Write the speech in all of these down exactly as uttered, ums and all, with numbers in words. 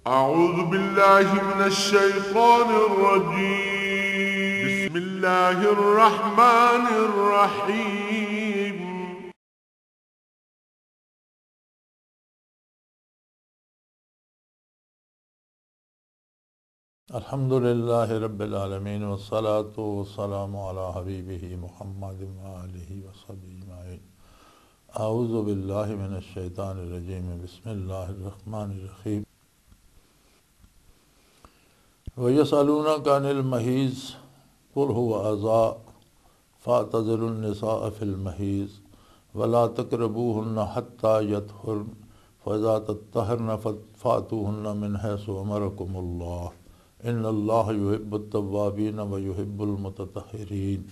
أعوذ بالله من الشيطان الرجيم. بسم الله الرحمن الرحيم. الحمد لله رب العالمين، والصلاة والسلام على حبيبه محمد وآله وصحبه أجمعين. أعوذ بالله من الشيطان الرجيم. بسم الله الرحمن الرحيم. ويسألونك عن المحيض، قل هو أذى، فاعتزلوا النساء في المحيض، ولا تقربوهن حتى يطهرن، فإذا تطهرن فات-، فأتوهن من حيث أمركم الله، إن الله يحب التوابين ويحب المتطهرين.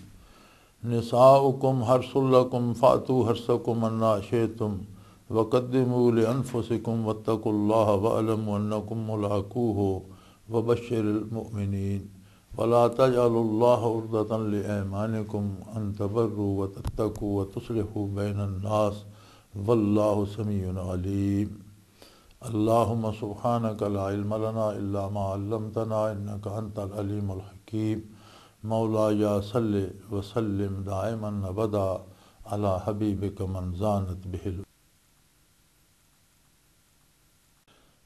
نساؤكم حرث لكم فأتوا حرثكم أنى شئتم وقدموا لأنفسكم واتقوا الله واعلموا أنكم ملاقوه وبشر المؤمنين. ولا تجعلوا الله عرضة لأيمانكم أن تبروا وتتقوا وتصلحوا بين الناس، والله سميع عليم. اللهم سبحانك لا علم لنا إلا ما علمتنا إنك أنت العليم الحكيم. مولاي صل وسلم دائما أبدا على حبيبك من زانت به ال-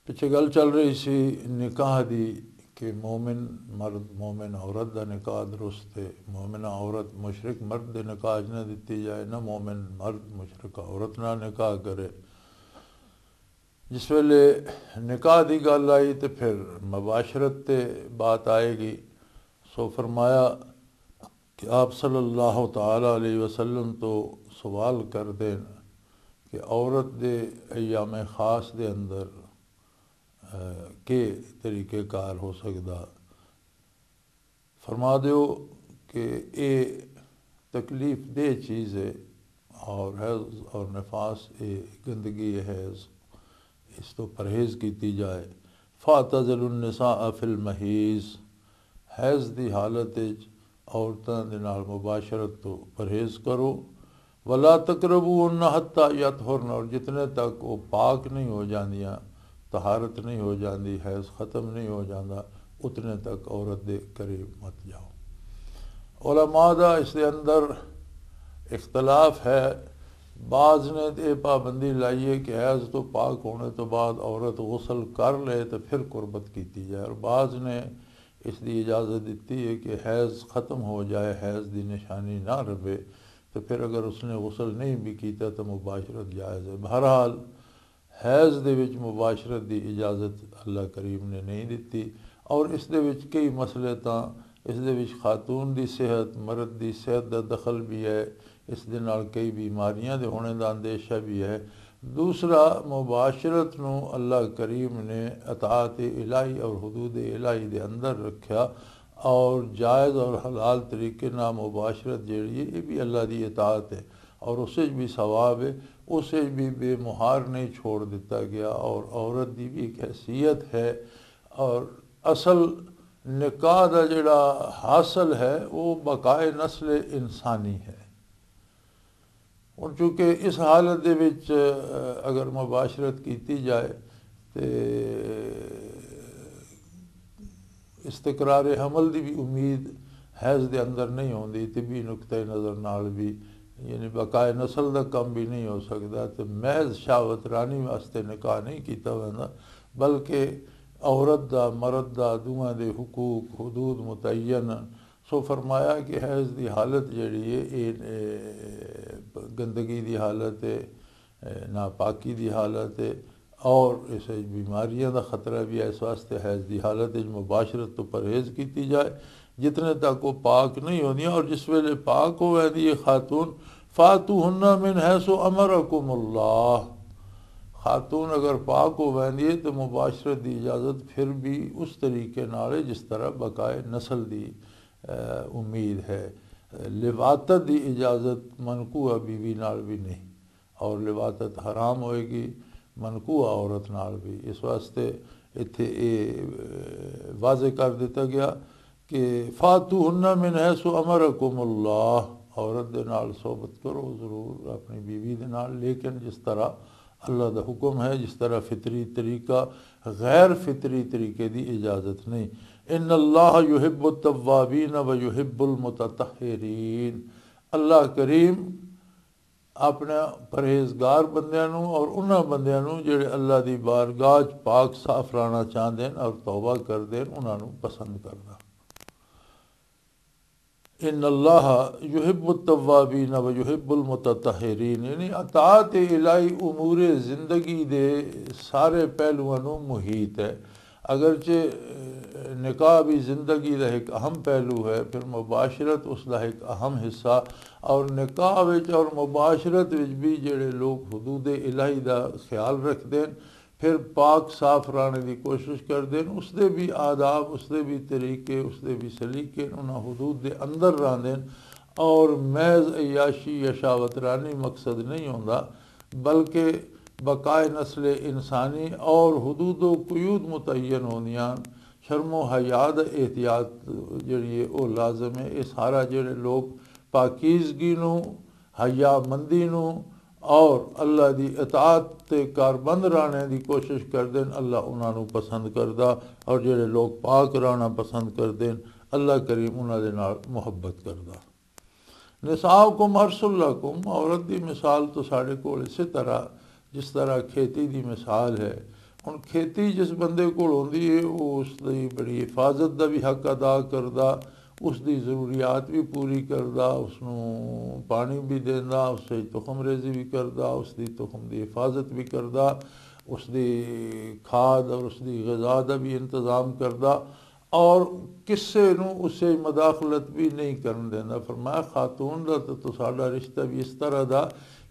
پچھے گل چل رہی سی نکاح دی، کہ مومن مرد مومن عورت دا نکاح درست ہے۔ مومن عورت مشرک مرد دے نکاح 'چ نہ دتی جائے، نہ مومن مرد مشرک عورت نال نکاح کرے۔ جس ویلے نکاح دی گل آئی تے پھر مباشرت تے بات آئے گی۔ سو فرمایا کہ آپ صلی اللہ تعالی علیہ وسلم تو سوال کر دین کہ عورت دے ایام خاص دے اندر، اے، کے طریقہ کار ہو سکدا؟ فرما دیو کہ اے تکلیف دہ چیز ہے، اور حیض اور نفاس، اے گندگی ہے، حیض، اس تو پرہیز کیتی جائے۔ فاعتزلوا النساء فی المحیض، حیض دی حالت وچ عورتاں دے نال مباشرت تو پرہیز کرو۔ ولا تقربوهن حتى يطهرن، اور جتنے تک وہ پاک نہیں ہو جاندیاں، طہارت نہیں ہو جاندی، حیض ختم نہیں ہو جاندا، اتنے تک عورت دے قریب مت جاؤ۔ علماء دا اس دے اندر اختلاف ہے۔ بعض نے تے پابندی لائی ہے کہ حیض تو پاک ہونے تو بعد عورت غسل کر لے تو پھر قربت کیتی جائے، اور بعض نے اس دی اجازت دتی ہے کہ حیض ختم ہو جائے، حیض دی نشانی نہ رہے، تو پھر اگر اس نے غسل نہیں بھی کیتا تو مباشرت جائز ہے۔ بہرحال، حیض دے وچ مباشرت دی اجازت اللہ کریم نے نہیں دتی، اور اس دے وچ کئی مسئلے تاں، اس دے وچ خاتون دی صحت، مرد دی صحت دا دخل بھی ہے، اس دے نال کئی بیماریاں دے ہونے دا اندیشہ بھی ہے۔ دوسرا، مباشرت نو اللہ کریم نے اطاعت الہی اور حدود الہی دے اندر رکھیا، اور جائز اور حلال طریقے نال مباشرت جیڑی ہے، یہ بھی اللہ دی اطاعت ہے، اور اس وچ بھی ثواب ہے، اس وچ بھی بے مہار نہیں چھوڑ دتا گیا، اور عورت دی بھی ایک حیثیت ہے، اور اصل نکاح دا جڑا حاصل ہے، وہ بقائے نسل انسانی ہے۔ ہن چونکہ اس حالت دے وچ، اگر مباشرت کیتی جائے تے استقرار حمل دی بھی امید حیض دے اندر نہیں ہوندی، طبی نقطہ نظر نال بھی، یعنی بقائے نسل دا کم بھی نہیں ہو سکدا، تے محض شہوت رانی واسطے نکاح نہیں کیتا ویندا، بلکہ عورت دا، مرد دا، دوواں دے حقوق، حدود متعین۔ سو فرمایا کہ حیض دی حالت جڑی ہے، اے، اے، گندگی دی حالت ہے، اے، ناپاکی دی حالت ہے، اور اس وچ بیماریاں دا خطرہ بھی ہے۔ اس واسطے حیض دی حالت وچ مباشرت تو پرہیز کیتی جائے، جتنے تک وہ پاک نہیں ہوندیاں۔ اور جس ویلے پاک ہو ویندی ہے خاتون، فاتوہن من حیث امرکم اللہ، خاتون اگر پاک ہو ویندی ہے تو مباشرت دی اجازت پھر بھی اس طریقے نال ہے جس طرح بقائے نسل دی، اے، امید ہے۔ لواطت دی اجازت منکوحہ بیوی نال بھی نہیں، اور لواطت حرام ہوئے گی منکوحہ عورت نال بھی۔ اس واسطے اتھے اے، اے، واضح کر دتا گیا کہ فاتوہن من حیث امرکم اللہ، عورت دے نال صحبت کرو ضرور اپنی بیوی دے نال، لیکن جس طرح اللہ دا حکم ہے، جس طرح فطری طریقہ غیر فطری طریقے دی اجازت نہیں۔ ان اللہ یحب التوابین و یحب المتطہرین۔ اللہ کریم اپنے پرہیزگار بندیاں نوں اور انہاں بندیاں نوں جڑے اللہ دی بارگاہ چ پاک صاف رہنا چاہندے ہن اور توبہ کردے ہن، انہاں نوں پسند کردا۔ ان اللہ یحب التوابین و یحب المتطہرین، یعنی اطاعت الہی امور زندگی دے سارے پہلوؤں نوں محیط ہے۔ اگرچہ نکاح بھی زندگی دا ایک اہم پہلو ہے، پھر مباشرت اس دا ایک اہم حصہ، اور نکاح وچ اور مباشرت وچ بھی جڑے لوگ حدود الہی دا خیال رکھدے ہیں، پھر پاک صاف رہنے دی کوشش کردے ہیں، اس دے بھی آداب، اس دے بھی طریقے، اس دے بھی سلیقے، انہاں حدود دے اندر رہندے ہیں، اور محض عیاشی یا شہوت رانی مقصد نہیں ہوندا، بلکہ بقائے نسل انسانی اور حدود و قیود متعین ہوندیاں۔ شرم و حیا دا احتیاط جڑی ہے، او لازم ہے۔ یہ سارا جڑے لوگ پاکیزگی نوں، حیا مندی نوں اور اللہ دی اطاعت تے کاربند رانے دی کوشش کردے ہیں، اللہ انہاں نوں پسند کردا، اور جڑے لوگ پاک رانا پسند کردے ہیں، اللہ کریم انہاں دے نال محبت کردا۔ نساؤکم حرث لکم، عورت دی مثال تو ساڈے کول اسی طرح، جس طرح کھیتی دی مثال ہے۔ ہن کھیتی جس بندے کول ہوندی ہے، وہ اس دی بڑی حفاظت دا بھی حق ادا کردا، اس دی ضروریات بھی پوری کردا، اس نوں پانی بھی دیندا، اس سے تخم ریزی بھی کردا، اس دی تخم دی حفاظت بھی کردا، اس دی کھاد اور اس دی غذا دا بھی انتظام کردا۔ اور کسے نوں اسے مداخلت بھی نہیں کرن دیندا۔ فرمایا، خاتون دا تے تساڈا رشتہ بھی اس طرح دا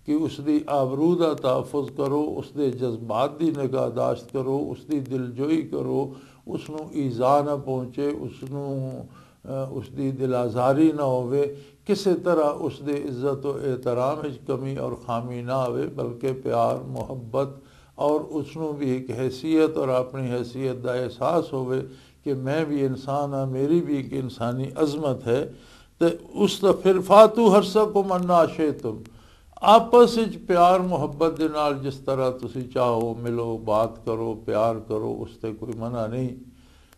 کہ اس دی آبرو دا تحفظ کرو، اس دے جذبات دی نگاہ داشت کرو، اس دی دلجوئی کرو، اس نوں ایذا نہ پہنچے، اس نوں، اہ، اس دی دل آزاری نہ ہووے، کسے طرح اس دے عزت و احترام وچ کمی اور خامی نہ آوے، بلکہ پیار، محبت اور اس نوں بھی ایک حیثیت اور اپنی حیثیت دا احساس ہووے کہ میں بھی انسان ہاں، میری بھی ایک انسانی عظمت ہے۔ تے اس دا پھر فاتو حرثکم انا شئتم، آپس وچ پیار محبت دے نال جس طرح تسی چاہو ملو، بات کرو، پیار کرو، اس تے کوئی منع نہیں۔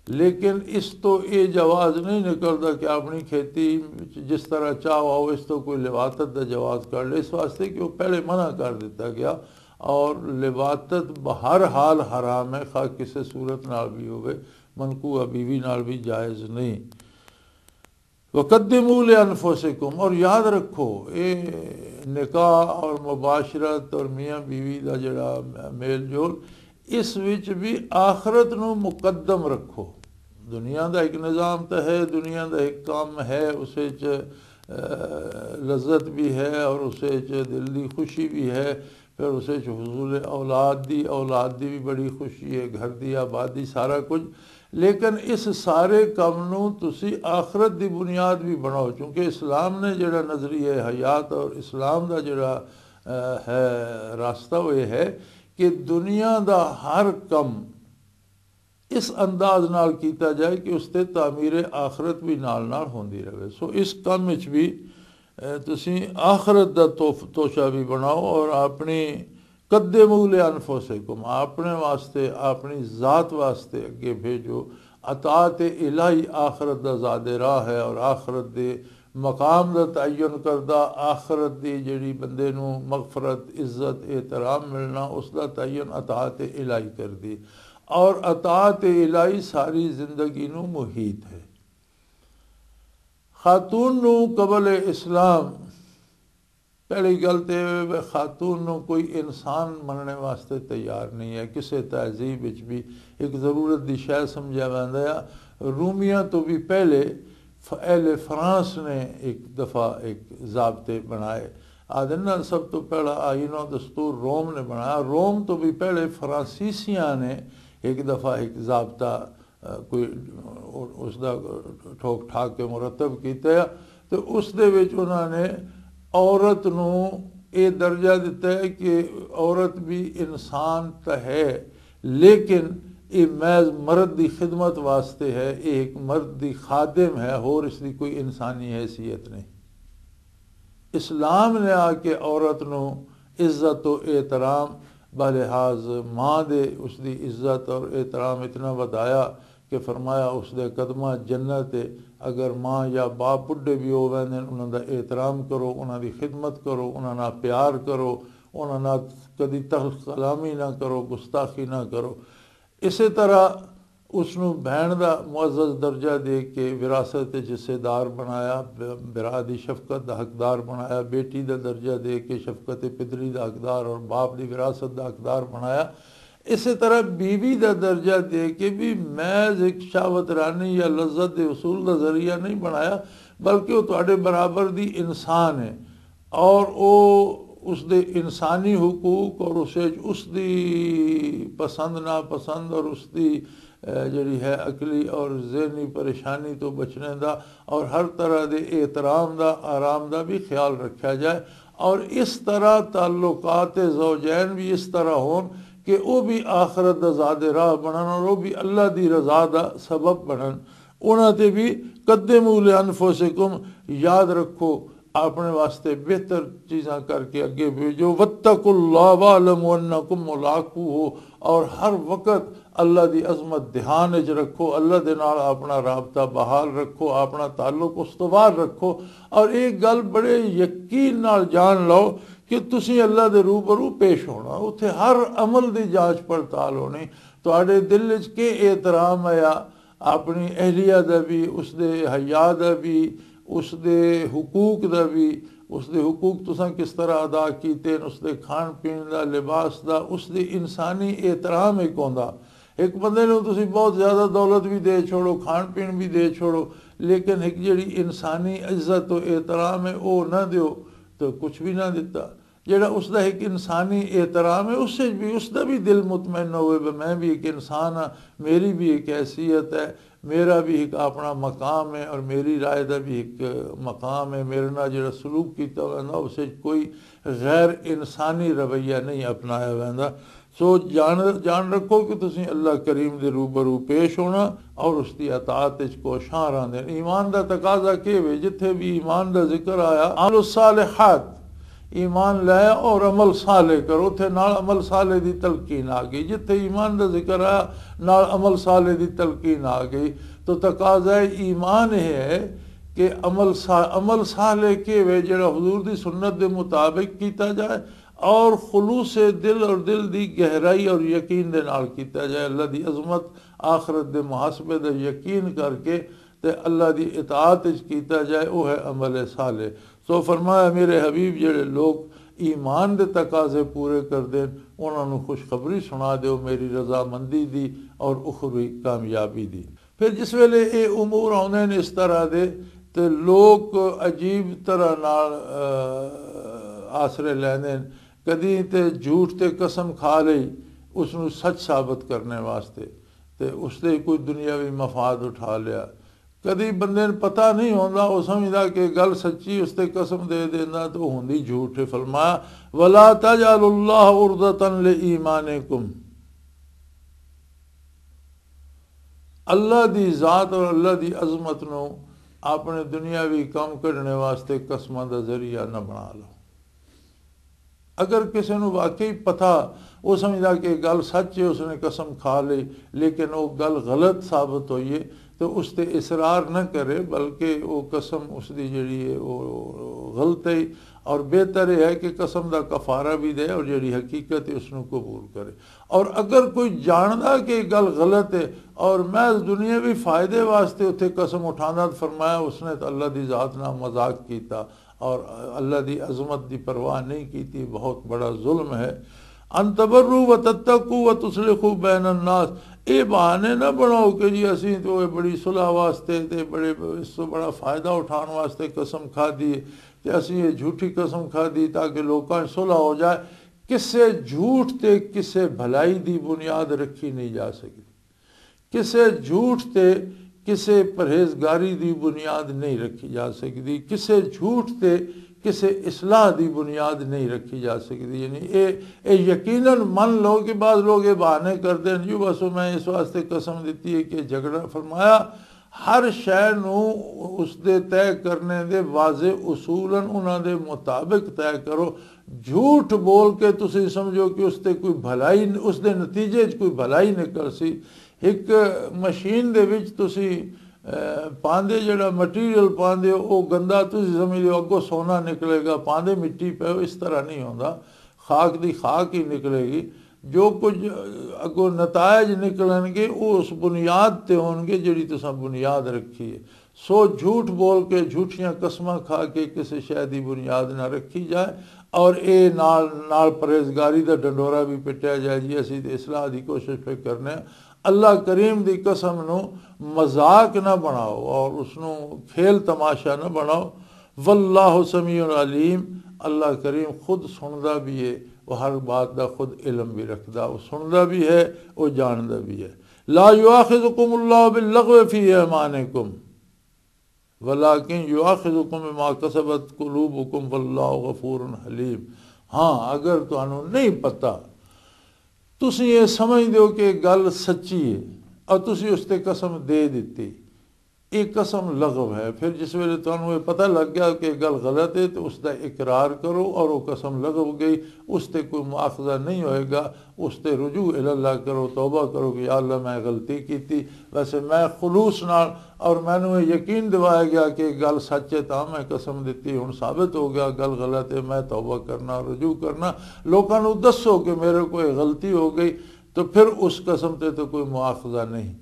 لیکن اس تو یہ جواز نہیں نکلدا کہ اپنی کھیتی وچ جس طرح چاہو آؤ، اس تو کوئی لواطت دا جواز کر لے، اس واسطے کہ وہ پہلے منع کر دتا گیا۔ اور لواطت بہر حال حرام ہے، خواہ کسے صورت نال بھی ہوئے، منقوہ بیوی نال بھی جائز نہیں۔ وقدموا لانفسکم، اور یاد رکھو، اے نکاح اور مباشرت اور میاں بیوی دا جڑا میل جول، اس وچ بھی آخرت نو مقدم رکھو۔ دنیا دا ایک نظام تے ہے، دنیا دا ایک کام ہے، اس وچ، اہ، لذت بھی ہے اور اس وچ دل دی خوشی بھی ہے، پھر اس وچ حصول اولاد دی، اولاد دی بھی بڑی خوشی ہے، گھر دی آبادی، سارا کچھ۔ لیکن اس سارے کم نو تسی آخرت دی بنیاد بھی بناؤ، چونکہ اسلام نے جڑا نظریہ حیات اور اسلام دا جڑا، اہ، ہے راستہ، وہ یہ ہے کہ دنیا دا ہر کم اس انداز نال کیتا جائے کہ اس تے تعمیر آخرت بھی نال نال ہوندی رہے۔ سو اس کم وچ بھی، اے، تسی آخرت دا توف-، توشہ بھی بناؤ اور اپنی قدموا لانفسکم، اپنے واسطے، اپنی ذات واسطے اگے بھیجو۔ اطاعت الہی آخرت دا زیادہ راہ ہے اور آخرت دے مقام دا تعین کردہ، آخرت دی جڑی بندے نو مغفرت، عزت، احترام ملنا، اس دا تعین اطاعت الہی کردی۔ اور اطاعت الہی ساری زندگی نو محیط ہے۔ خاتون نو قبل اسلام، پہلی گل تے اے وے، خاتون نو کوئی انسان مننے واسطے تیار نہیں ہے۔ کسے تہذیب وچ بھی ایک ضرورت دی شے سمجھیا ویندا ہے۔ رومیاں تو بھی پہلے ف-، اہل فرانس نے ایک دفعہ ایک ضابطے بنائے۔ آدھے نا، سب تو پہلا آئین و دستور روم نے بنایا۔ روم تو بھی پہلے فرانسیسیاں نے ایک دفعہ ایک ضابطہ، آ، کوئی اس دا ٹھوک ٹھاک کے مرتب کیتا ہے۔ تو اس دے وچ انہاں نے عورت نو اے درجہ دتا ہے کہ عورت بھی انسان تو ہے، لیکن یہ محض مرد دی خدمت واسطے ہے، یہ ایک مرد دی خادم ہے، ہور اس دی کوئی انسانی حیثیت نہیں۔ اسلام نے آ کے عورت نو عزت و احترام بلحاظ ماں دے اس دی عزت اور احترام اتنا ودھایا کہ فرمایا، اس دے قدماں جنت ہے۔ اگر ماں یا باپ بڈھے بھی ہو ویندے نے، انہاں دا احترام کرو، انہاں دی خدمت کرو، انہاں نال پیار کرو، انہاں نال کدی تلخ کلامی نہ کرو، گستاخی نہ کرو۔ اسی طرح اس نوں بہن دا معزز درجہ دے کے وراثت وچ حصے دار بنایا، ب-، برا دی شفقت دا حقدار بنایا، بیٹی دا درجہ دے کے شفقت پدری دا حقدار اور باپ دی وراثت دا حقدار بنایا۔ اسی طرح بیوی دا درجہ دے کے بھی محض ایک شہوت رانی یا لذت دے حصول دا ذریعہ نہیں بنایا، بلکہ وہ تہاڈے برابر دی انسان ہے۔ اور او اس دے انسانی حقوق اور اسے اس دی پسند ناپسند اور اس دی، اے، جڑی ہے عقلی اور ذہنی پریشانی تو بچنے دا اور ہر طرح دے احترام دا، آرام دا بھی خیال رکھیا جائے۔ اور اس طرح تعلقات زوجین بھی اس طرح ہون کہ او بھی آخرت دا زاد راہ بنن اور او بھی اللہ دی رضا دا سبب بنن۔ انہاں تے بھی، قدموا لانفسکم، یاد رکھو، اپنے واسطے بہتر چیزاں کر کے اگے بھیجو۔ واتقوا اللہ واعلموا انکم ملاقوہ، اور ہر وقت اللہ دی عظمت دھیان وچ رکھو، اللہ دے نال اپنا رابطہ بحال رکھو، اپنا تعلق استوار رکھو، اور ایک گل بڑے یقین نال جان لو کہ تسی اللہ دے روبرو پیش ہونا، اتھے ہر عمل دی جانچ پڑتال ہونی، تہاڈے دل وچ کے احترام آیا، اپنی اہلیہ دا بھی، اس دے حیا دا بھی، اس دے حقوق دا بھی، اس دے حقوق تساں کس طرح ادا کیتے ہیں، اس دے کھان پین دا، لباس دا، اس دے انسانی احترام ایک ہوندا۔ ایک بندے نوں تسی بہت زیادہ دولت بھی دے چھوڑو، کھان پین بھی دے چھوڑو، لیکن ایک جڑی انسانی عزت و احترام ہے، او نہ دیو، تو کچھ بھی نہ دیتا۔ جڑا اس دا ایک انسانی احترام ہے، اس سے بھی، اس دا بھی دل مطمئن ہوئے، "میں بھی ایک انسان ہاں، میری بھی ایک حیثیت ہے، میرا بھی ایک اپنا مقام ہے اور میری رائے دا بھی ایک مقام ہے، میرے نال جڑا سلوک کیتا ویندا، اس وچ کوئی غیر انسانی رویہ نہیں اپنایا ویندا۔" سو جان، جان رکھو کہ تسی اللہ کریم دے روبرو پیش ہونا اور اس دی اطاعت وچ کوشاں رہندے۔ ایمان دا تقاضا کی وے؟ جتھے بھی ایمان دا ذکر آیا، عمل الصالحات، ایمان لے اور عمل صالح کرو۔ اتھے نال عمل صالح دی تلقین آ گئی، جتھے ایمان دا ذکر آیا، نال عمل صالح دی تلقین آ گئی۔ تو تقاضا ایمان یہ ہے کہ عمل صا-، عمل صالح کی وے؟ جڑا حضور دی سنت دے مطابق کیتا جائے اور خلوص دل اور دل دی گہرائی اور یقین دے نال کیتا جائے۔ اللہ دی عظمت، آخرت دے محاسبے دا یقین کر کے تے اللہ دی اطاعت وچ کیتا جائے، او ہے عمل صالح۔ سو فرمایا، میرے حبیب، جڑے لوگ ایمان دے تقاضے پورے کردے نے، انہاں نوں خوشخبری سنا دیو میری رضامندی دی اور اخروی کامیابی دی۔ پھر جس ویلے اے امور آوندے نے اس طرح دے، تے لوگ عجیب طرح نال، آ، آسرے لیندے نے۔ کدی تے جھوٹ تے قسم کھا لئی، اس نوں سچ ثابت کرنے واسطے، تے اس دے کوئی دنیاوی مفاد اٹھا لیا۔ کدی بندے نوں پتہ نہیں ہوندا، او سمجھدا کہ گل سچی، اس تے قسم دے دیندا تے او ہوندی جھوٹ ہے۔ فرمایا، "ولا تجعلوا اللہ عرضۃ لایمانکم۔" اللہ دی ذات اور اللہ دی عظمت نو اپنے دنیاوی کم کڈنے واسطے قسماں دا ذریعہ نہ بنا لو۔ اگر کسی نو واقعی پتہ، وہ سمجھدا کہ گل سچ ہے، اس نے قسم کھا لی، لیکن وہ گل غلط ثابت ہوئی ہے، تو اس تے اصرار نہ کرے، بلکہ وہ قسم اس دی جڑی ہے، وہ غلط ہے۔ اور بہتر یہ ہے کہ قسم دا کفارہ بھی دے اور جڑی حقیقت ہے، اس نو قبول کرے۔ اور اگر کوئی جاندا کہ یہ گل غلط ہے اور محض دنیاوی فائدے واسطے اتھے قسم اٹھاندا، تو فرمایا، اس نے تو اللہ دی ذات نال مذاق کیتا۔ اور اللہ دی عظمت دی پرواہ نہیں کیتی، بہت بڑا ظلم ہے۔ ان تبروا وتتقوا وتصلحوا بین الناس، اے بہانے نہ بناؤ کہ جی اسی تو اے بڑی صلح واسطے تے بڑے، اس تو بڑا فائدہ اٹھان واسطے قسم کھا دی تے اسی اے جھوٹی قسم کھا دی تاکہ لوکاں صلح ہو جائے۔ کسے جھوٹ تے کسے بھلائی دی بنیاد رکھی نہیں جا سکتی۔ کسے جھوٹ تے کسے پرہیزگاری دی بنیاد نہیں رکھی جا سکدی، کسے جھوٹ تے کسے اصلاح دی بنیاد نہیں رکھی جا سکدی۔ یعنی اے، اے یقیناً من لو کہ بعض لوگ اے بہانے کردے ہیں، "جی بس میں اس واسطے قسم دتی ہے کہ جھگڑا۔" فرمایا، ہر شے نو اس دے طے کرنے دے واضح اصولاً انہاں دے مطابق طے کرو۔ جھوٹ بول کے تسی سمجھو کہ اس تے کوئی بھلائی، اس دے نتیجے چ کوئی بھلائی نکل سی۔ ایک مشین دے وچ تسی، اے، پاندے، جڑا مٹیریل پاندے ہو، او گندا، تسی سمجھدے ہو اگوں سونا نکلے گا، پاندے مٹی پے ہو، اس طرح نہیں ہوندا۔ خاک دی خاک ہی نکلے گی۔ جو کچھ اگوں نتائج نکلن گے، او اس بنیاد تے ہون گے جڑی تساں بنیاد رکھی ہے۔ سو جھوٹ بول کے، جھوٹیاں قسماں کھا کے کسی شے دی بنیاد نہ رکھی جائے، اور اے نال نال پرہیزگاری دا ڈنڈورا بھی پٹیا جائے، جی اسی تے اصلاح دی کوشش پہ کرنے ہیں۔ اللہ کریم دی قسم نو مذاق نہ بناؤ اور اس نو کھیل تماشا نہ بناؤ۔ واللہ سمیع علیم، اللہ کریم خود سندا بھی ہے، وہ ہر بات دا خود علم بھی رکھدا، وہ سندا بھی ہے، وہ جاندا بھی ہے۔ لا یؤاخذکم اللہ باللغو فی ایمانکم، ولکن یؤاخذکم بما کسبت قلوبکم واللہ غفور حلیم۔ ہاں، اگر تانوں نہیں پتہ، تسی یہ سمجھ دیو کہ گل سچی ہے اور تسی اس تے قسم دے دتی، یہ قسم لغو ہے۔ پھر جس ویلے تانوں یہ پتہ لگ گیا کہ گل غلط ہے، تو اس دا اقرار کرو اور وہ قسم لغو گئی، اس تے کوئی مؤاخذہ نہیں ہوئے گا۔ اس تے رجوع الی اللہ کرو، توبہ کرو کہ یا اللہ، میں غلطی کیتی۔ ویسے میں خلوص نال، اور مینوں یہ یقین دوایا گیا کہ گل سچ ہے، تاں میں قسم دتی، ہن ثابت ہو گیا گل غلط ہے، میں توبہ کرنا، رجوع کرنا۔ لوکاں نوں دسو کہ میرے کوئی غلطی ہو گئی، تو پھر اس قسم تے تو کوئی مؤاخذہ نہیں۔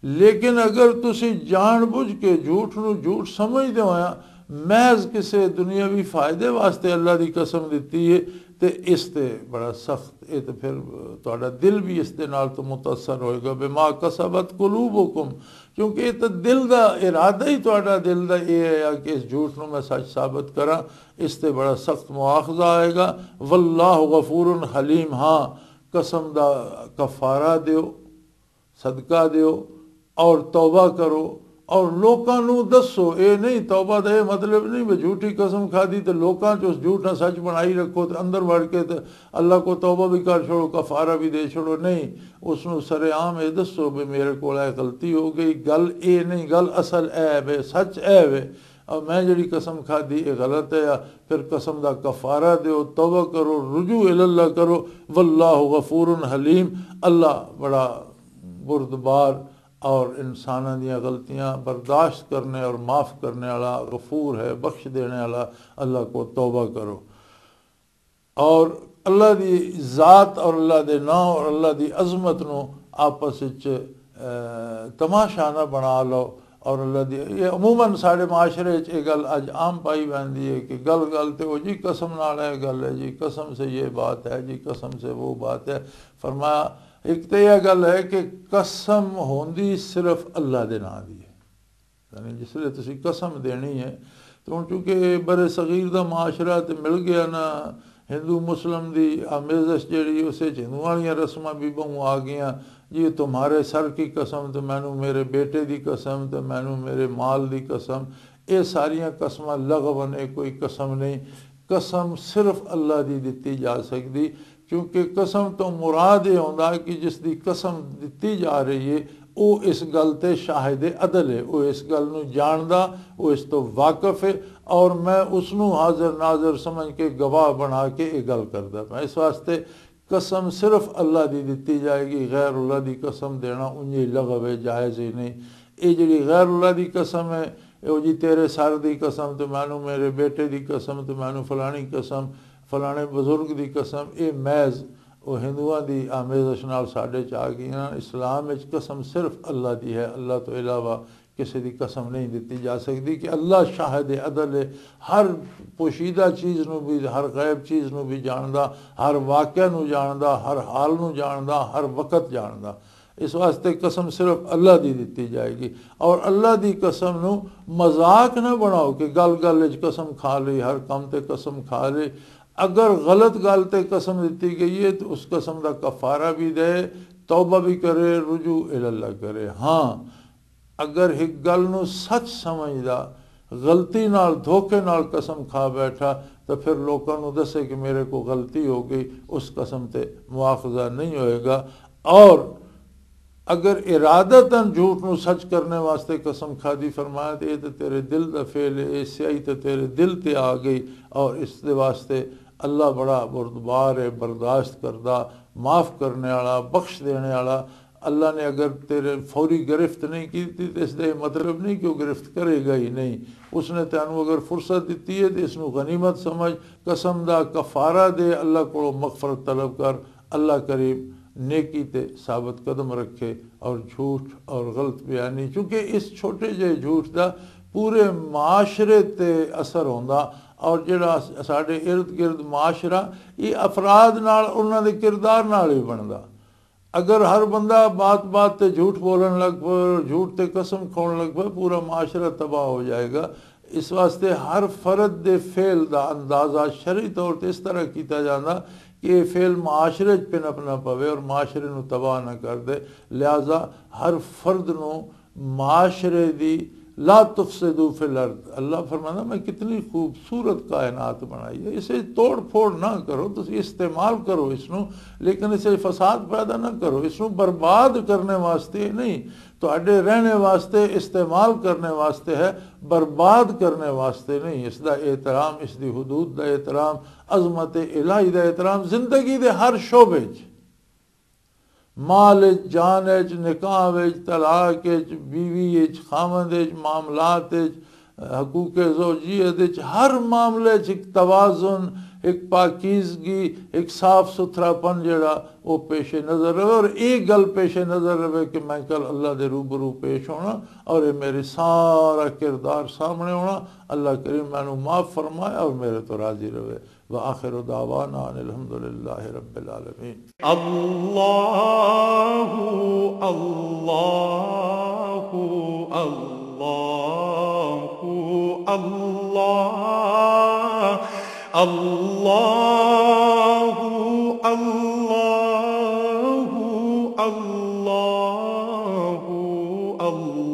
لیکن اگر تسی جان بوجھ کے جھوٹ نوں جھوٹ سمجھدے ہویا محض کسے دنیاوی فائدے واسطے اللہ دی قسم دتی ہے، تے اس تے بڑا سخت، اے تے پھر تہاڈا دل بھی اس دے نال تو متاثر ہوئے گا۔ بما کسبت قلوبکم، کیونکہ اے تے دل دا ارادہ ہی، تہاڈا دل دا اے ہے کہ اس جھوٹ نوں میں سچ ثابت کراں، اس تے بڑا سخت مواخذہ آئے گا۔ واللہ غفور حلیم، ہاں، قسم دا کفارہ دیو، صدقہ دیو اور توبہ کرو اور لوکاں نوں دسو۔ اے نہیں، توبہ دا اے مطلب نہیں بھی جھوٹی قسم کھادی تے لوکاں چ اس جھوٹ نہ سچ بنائی رکھو تے اندر وڑ کے تے اللہ کو توبہ بھی کر چھوڑو، کفارہ بھی دے چھوڑو۔ نہیں، اس نوں سر عام اے دسو بھی میرے کول اے غلطی ہو گئی۔ گل اے نہیں، گل اصل اے وے، سچ اے وے، اور میں جڑی قسم کھادی اے غلط ہے، پھر قسم دا کفارہ دیو، توبہ کرو، رجوع الی اللہ کرو۔ واللہ غفور حلیم، اللہ بڑا بردبار اور انساناں دیاں غلطیاں برداشت کرنے اور معاف کرنے والا، غفور ہے، بخش دینے والا۔ اللہ کو توبہ کرو اور اللہ دی ذات اور اللہ دے نام اور اللہ دی عظمت نو آپس وچ، اے، تماشا نہ بنا لو۔ اور اللہ دی، یہ عموماً ساڈے معاشرے وچ یہ گل اج عام پائی ویندی ہے کہ گل گل تے او جی قسم نال اے گل ہے جی، قسم سے یہ بات ہے جی، قسم سے وہ بات ہے۔ فرمایا، ایک تے یہ گل ہے کہ قسم ہوندی صرف اللہ دے نام دی ہے۔ یعنی جس ویلے تسی قسم دینی ہے، تو ہن چونکہ بر صغیر دا معاشرہ تے مل گیا نا، ہندو مسلم دی آمیزش جیڑی، اسے چ ہندو والیاں رسماں بھی بہوں آ گئیاں۔ جی، تمہارے سر کی قسم، تو مینوں میرے بیٹے دی قسم، تو مینوں میرے مال دی قسم۔ اے ساریاں قسماں لغو نے، کوئی قسم نہیں۔ قسم صرف اللہ دی دتی جا سکدی، کیونکہ قسم تو مراد یہ ہوندا کہ جس دی قسم دتی جا رہی ہے، او اس گل تے شاہد عدل ہے، او اس گل نو جاندا، او اس تو واقف ہے، اور میں اس نو حاضر ناظر سمجھ کے گواہ بنا کے یہ گل کردا پیا۔ اس واسطے قسم صرف اللہ دی دتی جائے گی، غیر اللہ دی قسم دینا اونجی لغو ہے، جائز ہی نہیں۔ یہ جڑی غیر اللہ دی قسم ہے، او جی تیرے سر دی قسم، تے مینوں میرے بیٹے دی قسم، تے مینوں فلانی قسم، فلانے بزرگ دی قسم، اے محض او ہندوؤں دی آمیزش نال ساڈے چ آ گئیاں۔ اسلام وچ قسم صرف اللہ دی ہے، اللہ تو علاوہ کسے دی قسم نہیں دتی جا سکدی، کہ اللہ شاہد عدل ہے، ہر پوشیدہ چیز نو بھی، ہر غیب چیز نو بھی جاندا، ہر واقعہ نو جاندا، ہر حال نو جاندا، ہر وقت جاندا۔ اس واسطے قسم صرف اللہ دی دتی جائے گی۔ اور اللہ دی قسم نو مذاق نہ بناؤ کہ گل گل وچ قسم کھا لئی، ہر کم تے قسم کھا لئی۔ اگر غلط گل تے قسم دتی گئی ہے تو اس قسم دا کفارہ بھی دے، توبہ بھی کرے، رجوع الی اللہ کرے۔ ہاں، اگر ایک گل نو سچ سمجھدا، غلطی نال، دھوکے نال قسم کھا بیٹھا، تو پھر لوکاں نو دسے کہ میرے کو غلطی ہو گئی، اس قسم تے مواخذہ نہیں ہوئے گا۔ اور اگر ارادتاً جھوٹ نو سچ کرنے واسطے قسم کھا دی، فرمایا، تو یہ تو تیرے دل دا فعل ہے، یہ سیاہی تو تیرے دل تے آ گئی، اور اس دے واسطے اللہ بڑا بردبار ہے، برداشت کردہ، معاف کرنے والا، بخش دینے والا۔ اللہ نے اگر تیرے فوری گرفت نہیں کی تھی تو اس دا یہ مطلب نہیں کہ وہ گرفت کرے گا ہی نہیں۔ اس نے تینوں اگر فرصت دتی ہے تو اس نوں غنیمت سمجھ، قسم دا کفارہ دے، اللہ کو مغفرت طلب کر۔ اللہ کریم نیکی تے ثابت قدم رکھے۔ اور جھوٹ اور غلط بیانی، چونکہ اس چھوٹے جہے جھوٹ دا پورے معاشرے تے اثر ہوندا، اور جڑا ساڈے ارد گرد معاشرہ، یہ افراد نال، انہاں دے کردار نال ہی بندا۔ اگر ہر بندہ بات بات تے جھوٹ بولن لگ پے اور جھوٹ تے قسم کھاؤن لگ پے، پورا معاشرہ تباہ ہو جائے گا۔ اس واسطے ہر فرد دے فعل دا اندازہ شرعی طور تے اس طرح کیتا جاندا کہ یہ فعل معاشرے چ پنپ نہ پوے اور معاشرے نو تباہ نہ کر دے۔ لہذا ہر فرد نو معاشرے دی، لا تفسدوا فی الارض، اللہ فرمانا، میں کتنی خوبصورت کائنات بنائی ہے، اسے توڑ پھوڑ نہ کرو، تسی استعمال کرو اس نو، لیکن اسے فساد پیدا نہ کرو، اس نو برباد کرنے واسطے نہیں، تہاڈے رہنے واسطے، استعمال کرنے واسطے ہے، برباد کرنے واسطے نہیں۔ اس دا احترام، اس دی حدود دا احترام، عظمت الہی دا احترام زندگی دے ہر شعبے چ، مال وچ، جان وچ، نکاح وچ، طلاق وچ، بیوی وچ، خاوند وچ، معاملات وچ، حقوق زوجیت وچ، ہر معاملے وچ ایک توازن، ایک پاکیزگی، ایک صاف ستھرا پن جڑا، وہ پیش نظر رہے۔ اور ایک گل پیش نظر رہے کہ میں کل اللہ دے روبرو پیش ہونا، اور یہ میرے سارا کردار سامنے ہونا۔ اللہ کریم مینوں معاف فرمائے اور میرے تو راضی رہے۔ وآخر دعوانا ان الحمد للہ رب العالمین۔ اللہ، اللہ، اللہ، اللہ، اللہ، اللہ، اللہ، اللہ۔